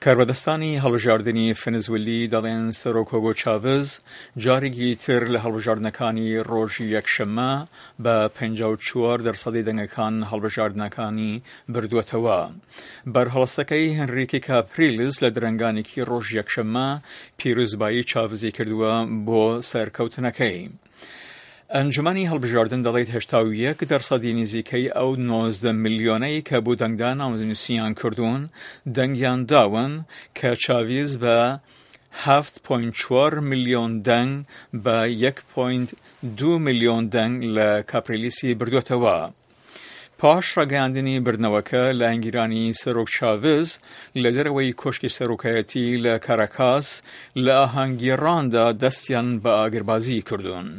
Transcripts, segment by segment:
کاربەدەستانی هەڵبژاردنی فەنزویلی دەڵێن سەرۆک هۆگۆ چاڤز جارێکی تر لە هەڵبژاردنەکانی ڕۆژی یەکشەممە بە 54 دەرسەدی دەنگەکان هەڵبژاردنەکانی بردووەتەوە. بەرهەڵستەکەی هنریکی کاپریلس لە درەنگانێکی ڕۆژی یەکشەممە پیرۆزبایی چاڤزی کردووە بۆ سەرکەوتنەکەی. ئەنجومەنی هەڵبژاردن دەڵێت 81 دەرسەدی نزیکەی ئەو 19 ملیۆنەی کە بۆ دەنگدان ناونووسیان کردوون دەنگیان داون کە چاویز بە 7.4 ملیۆن دەنگ بە 1.2 ملیۆن دەنگ لە کاپریلیسی بردوێتەوە. پاش ڕاگەیاندنی بردنەوەکە، لایەنگیرانی سەرۆک چاڤز لە دەرەوەی کۆشکی سەرۆکایەتی لە کاراکاس لە ئاهەنگگێڕاندا دەستیان بە ئاگربازی کردوون.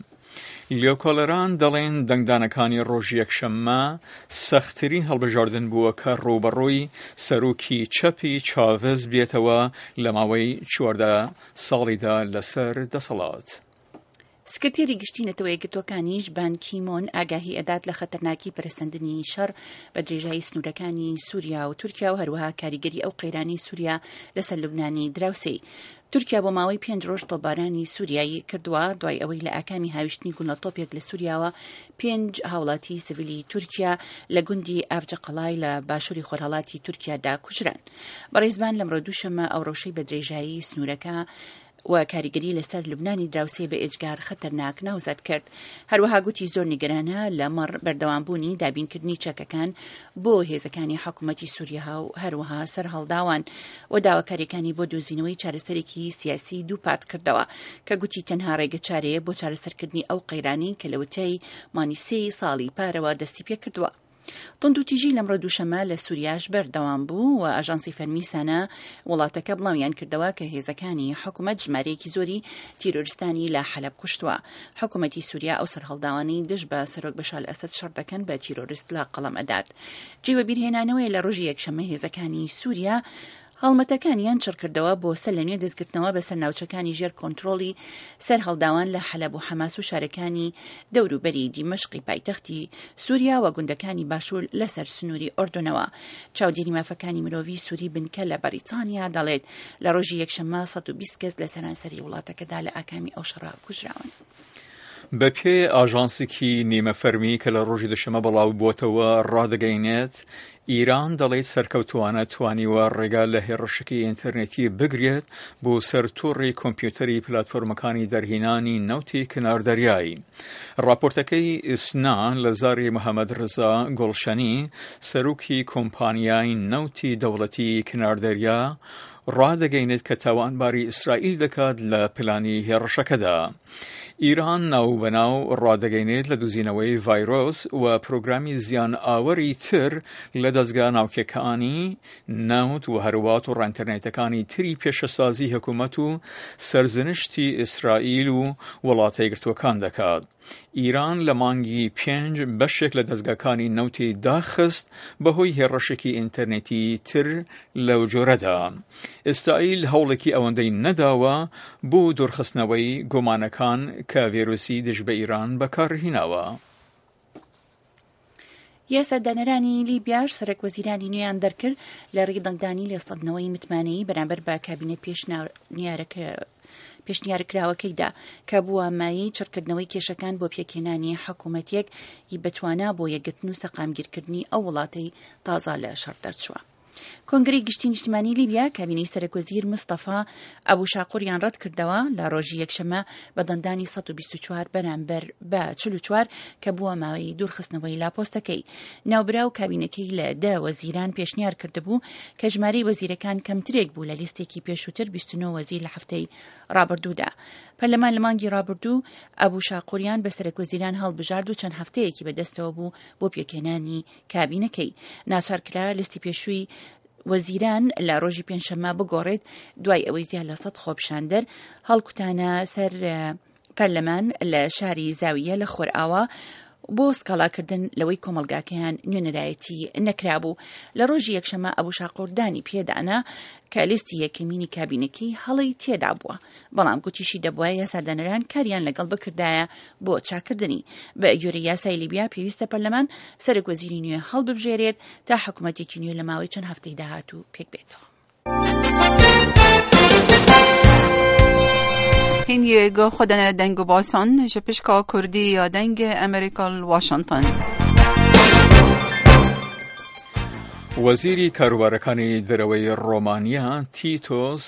لێکۆڵەران دەڵێن دەنگدانەکانی ڕۆژی یەکشەممە سەختترین هەڵبژاردن بووە کە ڕووبەڕووی سەرۆکی چەپی چاڤز بێتەوە لە ماوەی 14 ساڵیدا لەسەر دەسەڵات. سکرتێری گشتی نەتەوە یەکگرتووەکانیش بان کی مۆن ئاگاهی ئەدات لە خەتەرناکی پەرەسەندنی شەڕ بە درێژایی سنوورەکانی سووریا و تورکیا و هەروەها کاریگەری ئەو قەیرانەی سووریا لەسەر لوبنانی دراوسێی. تورکیا بۆ ماوەی پێنج ڕۆژ تۆپبارانی سووریای کردووە دوای ئەوەی لە ئاکامی هاویشتنی گوللە تۆپێک لە سووریاوە پێنج هاوڵاتی سڤیلی تورکیا لە گوندی ئاڤجەقەڵای لە باشووری خۆرهەڵاتی تورکیادا کوژران. بەڕێز بان لەمڕۆ دووشەممە ئەو ڕەوشەی بە درێژایی سنوورەکە و کاریگەری لەسەر لوبنانی دراوسێ بە ئێجگار خەتەرناک ناوزەد کرد. هەروەها گوتی زۆر نیگەرانە لە مەڕ بەردەوامبوونی دابینکردنی چەکەکان بۆ هێزەکانی حکوومەتی سووریا و هەروەها سەرهەڵداوان و داواکاریەکانی بۆ دۆزینەوەی چارەسەرێکی سیاسی دووپات کردەوە کە گوتی تەنها ڕێگە چارەیە بۆ چارەسەرکردنی ئەو قەیرانەی کە لەوەتای مانگی سێی ساڵی پارەوە دەستی پێکردووە. توندوتیژی لەمڕۆ دووشەممە لە سوریاش بەردەوام بوو و ئاژانسی فەرمی سانا وڵاتەکە بڵاویان کردەوە کە هێزەکانی حکومەت ژمارەیەکی زۆری تیرۆرستانی لە حەلەب کوشتووە. حکومەتی سوریا ئەو سەرهەڵداوانەی دژ بە سەرۆک بەشار ئەسەد شەڕ دەکەن بە تیرۆرست لە قەڵەم ئەدات. جێی وەبیرهێنانەوەیە لە ڕۆژی یەکشەممە هێزەکانی سوریا هەڵمەتەکانیان چڕکردەوە بۆ سەر لە نوێ دەستگرتنەوە بەسەر ناوچەکانی ژێر کۆنترۆڵی سەرهەڵداوان لە حەلەب و حەماس و شارەکانی دەوروبەری دیمەشقی پایتەختی سوریا و گوندەکانی باشوور لەسەر سنووری ئۆردونەوە. چاودێری مافەکانی مرۆڤی سوری بنکە لە بەریتانیا دەڵێت لە ڕۆژی یەکشەممە 120 کەس لە سەرانسەری وڵاتەکەدا لە ئاکامی ئەو شەڕە کوژراون. بەپێی ئاژانسێکی نیمە فەرمی کە لە ڕۆژی دوشەمە بڵاو بووەتەوە ڕادەگەینێت، ئیران دەڵێت سەرکەوتووانە توانیوە ڕێگا لە هێڕشێکی ئینتەرنێتی بگرێت بۆ سەر تۆڕی کۆمپیوتەری پلاتفۆرمەکانی دەرهینانی نەوتی کنار دەریایی. ڕاپۆرتەکەی ئیسنا لە زاری محەمەد ڕزا گوڵشەنی، سەرۆکی کۆمپانیای نەوتی دەوڵەتی کنار دەریا، ڕادەگەینێت کە تاوانباری ئیسرائیل دەکات لە پلانی هێڕشەکەدا. ئیران ناوبەناو ڕادەگەینێت لە دوزینەوەی ڤایرۆس و پرۆگرامی زیان ئاوەری تر لە دەزگا ناوکیەکانی نەوت و هەروا تۆڕە ئینتەرنێتەکانی تری پێشەسازی حکومەت و سەرزنشتی ئیسرائیل و وڵاتە یەکگرتووەکان دەکات. ئیران لە مانگی پێنج بەشێک لە دەزگاکانی نەوتی داخست بەهۆی هێڕشێکی ئینتەرنێتی تر لەو جۆرەدا. ئیسرائیل هەوڵێکی ئەوەندەی نەداوە بۆ دوورخستنەوەی گومانەکان کە ڤێرۆسی دژ بە ئیران بەکارهیناوە. یاسادانەرانی لیبیاش سەرەک وەزیرانی نوێیان دەرکرد لە ڕێی دەنگدانی لێسەندنەوەی متمانەیی بەرامبەر بە کابینە پێشنیارەکە پێشنیارکراوەکەیدا کە بووە مایەی چڕکردنەوەی کێشەکان بۆ پێکهێنانی حکوومەتێک ی بەتوانا بۆ یەکگرتن و سەقامگیرکردنی ئەو وڵاتەی تازە لە شەڕ دەرچووە. کۆنگرەی گشتی نیشتمانی لیبیا کابینەی سەرەکوەزیر مستەفا ئەبو شاقوریان ڕەتکردەوە لە ڕۆژی یەکشەممە بە دەنگدانی 124 بەرامبەر بە 44 کە بووە ماوەی دوورخستنەوەی لە پۆستەکەی. ناوبراو کابینەکەی لە دە وەزیران پێشنیار کردبوو کە ژمارەی وەزیرەکان کەمترێک بوو لە لیستێکی پێشووتر 29 وەزیر لە هەفتەی ڕابردوودا. پەرلەمان لە مانگی ڕابردوو ئەبو شاقوریان بە سەرەکوەزیران هەڵبژارد و چەند هەفتەیەکی بەدەستەوە بوو بۆ پێکهێنانی کابینەکەی ناچار کرا لیستی پێشووی وەزیران لە ڕۆژی پێنجشەممە بگۆڕێت دوای ئەوەی زیاد لە سەد خۆپیشاندەر هەڵکوتانە سەر پەرلەمان لە شاری زاویە لە خۆرئاوا بۆ سکاڵاکردن لەوەی کۆمەڵگاکەیان نوێنەرایەتی نەکرابوو لە ڕۆژی یەکشەمە ئەبوو شاقوردانی پێدانا کە لیستی یەکەمینی کابینەکەی هەڵەی تێدا بووە بەڵام گوتیشی دەبوایە یاسادانەران کاریان لەگەڵ بکردایە بۆ چاککردنی. بە گوێرەی یاسای لیبیا پێویستە پەرلەمان سەرۆک وەزیری نوێ هەڵببژێرێت تا حکومەتێکی نوێ لە ماوەی چەند هەفتەی داهاتوو پێکبێتەوە. Hingî guh xwe dane deng û basan ji pişka Kurdî ya Dengê Amerîka li Washington. وەزیری کاروبارەکانی دەرەوەی ڕۆمانیا تیتۆس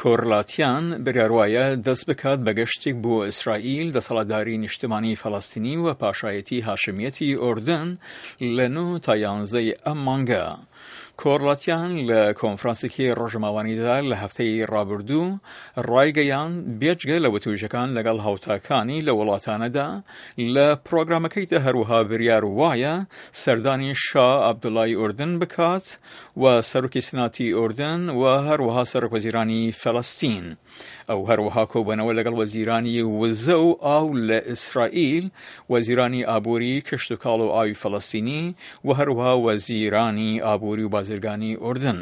کۆرلاتیان بڕیاروایە دەست بکات بە گەشتێک بۆ ئیسرائیل، دەسەڵاتداری نیشتمانی فەلەستینی و پاشایەتی هاشمیەتی ئوردن لە نۆ تا یانزەی ئەم مانگە. کۆرلاتیان لە کۆنفرانسێکی ڕۆژنامەوانیدا لە هەفتەی ڕابردوو ڕایگەیاند، بێجگە لە وتووێژەکان لەگەڵ هاوتاکانی لە وڵاتانەدا، لە پرۆگرامەکەیدا هەروەها بریار وایە سەردانی شا عەبدوڵای ئوردن بکات و سەرۆکی سناتی ئوردن و هەروەها سەرۆک وەزیرانی فەلەستین. ئەو هەروەها کۆبوونەوە لەگەڵ وەزیرانی وزە و ئاو لە ئیسرائیل، وەزیرانی ئابووری، کشتوکاڵ و ئاوی فەلەستینی و هەروەها وەزیرانی ئابووری و بازرگانی ئوردن.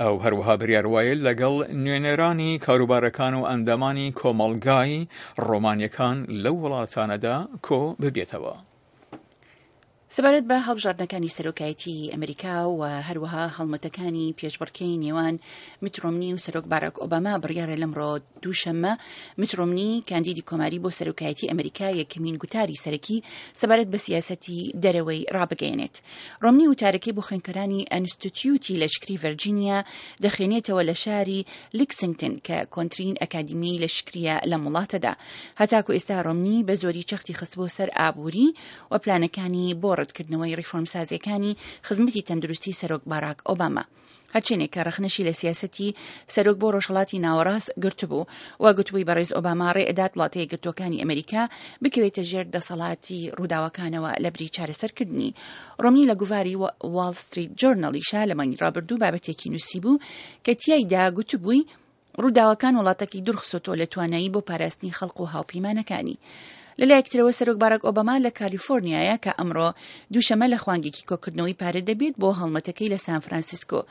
ئەو هەروەها بریار وایە لەگەڵ نوێنەرانی کاروبارەکان و ئەندامانی کۆمەڵگای ڕۆمانیەکان لەو وڵاتانەدا کۆ ببێتەوە. سەبارەت بە هەڵبژاردنەکانی سەرۆکایەتی ئەمریکا و هەروەها هەڵمەتەکانی پێشبڕکێی نێوان میت ڕۆمنی و سەرۆک باراک ئۆباما بڕیارە لەمڕۆ دووشەممە میت ڕۆمنی کاندیدی کۆماری بۆ سەرۆکایەتی ئەمریکا یەکەمین گوتاری سەرەکی سەبارەت بە سیاسەتی دەرەوەی ڕابگەیەنێت. ڕۆمنی وتارەکەی بۆ خوێندکارانی ئەنستیتیوتی لەشکری ڤەرجینیا دەخوێنێتەوە لە شاری لیکسنگتن کە کۆنترین ئەکادیمیی لەشکرییە لەم وڵاتەدا. هەتاکو ئێستا ڕۆمنی بە زۆری چەختی خستبووە سەر ئابووری و پلانەکانی بۆ ڕەتکردنەوەی ڕیفۆرمسازییەکانی خزمەتی تەندروستی سەرۆک باراک ئۆباما. هەرچەندێک کە ڕەخنەشی لە سیاسەتی سەرۆک بۆ ڕۆژهەڵاتی ناوەڕاست گرتبوو و گوتبووی بەڕێز ئۆباما ڕێ ئەدات وڵاتە یەکگرتووەکانی ئەمریکا بکەوێتە ژێر دەسەڵاتی ڕووداوەکانەوە لەبری چارەسەرکردنی. ڕۆمنی لە گوڤاری واڵ ستریت جۆرناڵیشا لە مانگی ڕابردوو بابەتێکی نووسیبوو کە تیایدا گوتبووی ڕووداوەکان وڵاتەکەی دوورخستۆتەوە لە توانایی بۆ پاراستنی خەڵک و هاوپەیمانەکانی. لەلایەک ترەوە سەرۆک باراک ئۆباما لە کالیفۆرنیایە کە ئەمڕۆ دووشەمە لە خوانگێکی کۆکردنەوەی پارە دەبێت بۆ هەڵمەتەکەی لە سان فرانسیسکۆ.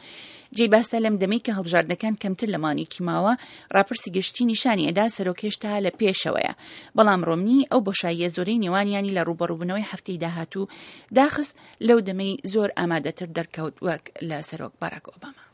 جێی باسە لەم دەمەی کە هەڵبژاردنەکان کەمتر لە مانگێکی ماوە، ڕاپرسی گشتی نیشانی ئەدا سەرۆک هێشتا لە پێشەوەیە. بەڵام ڕۆمنی ئەو بۆشاییە زۆرەی نێوانیانی لە ڕووبەڕووبوونەوەی هەفتەی داهاتوو داخست لەو دەمەی زۆر ئامادەتر دەرکەوت وەک لە سەرۆک باراک ئۆباما.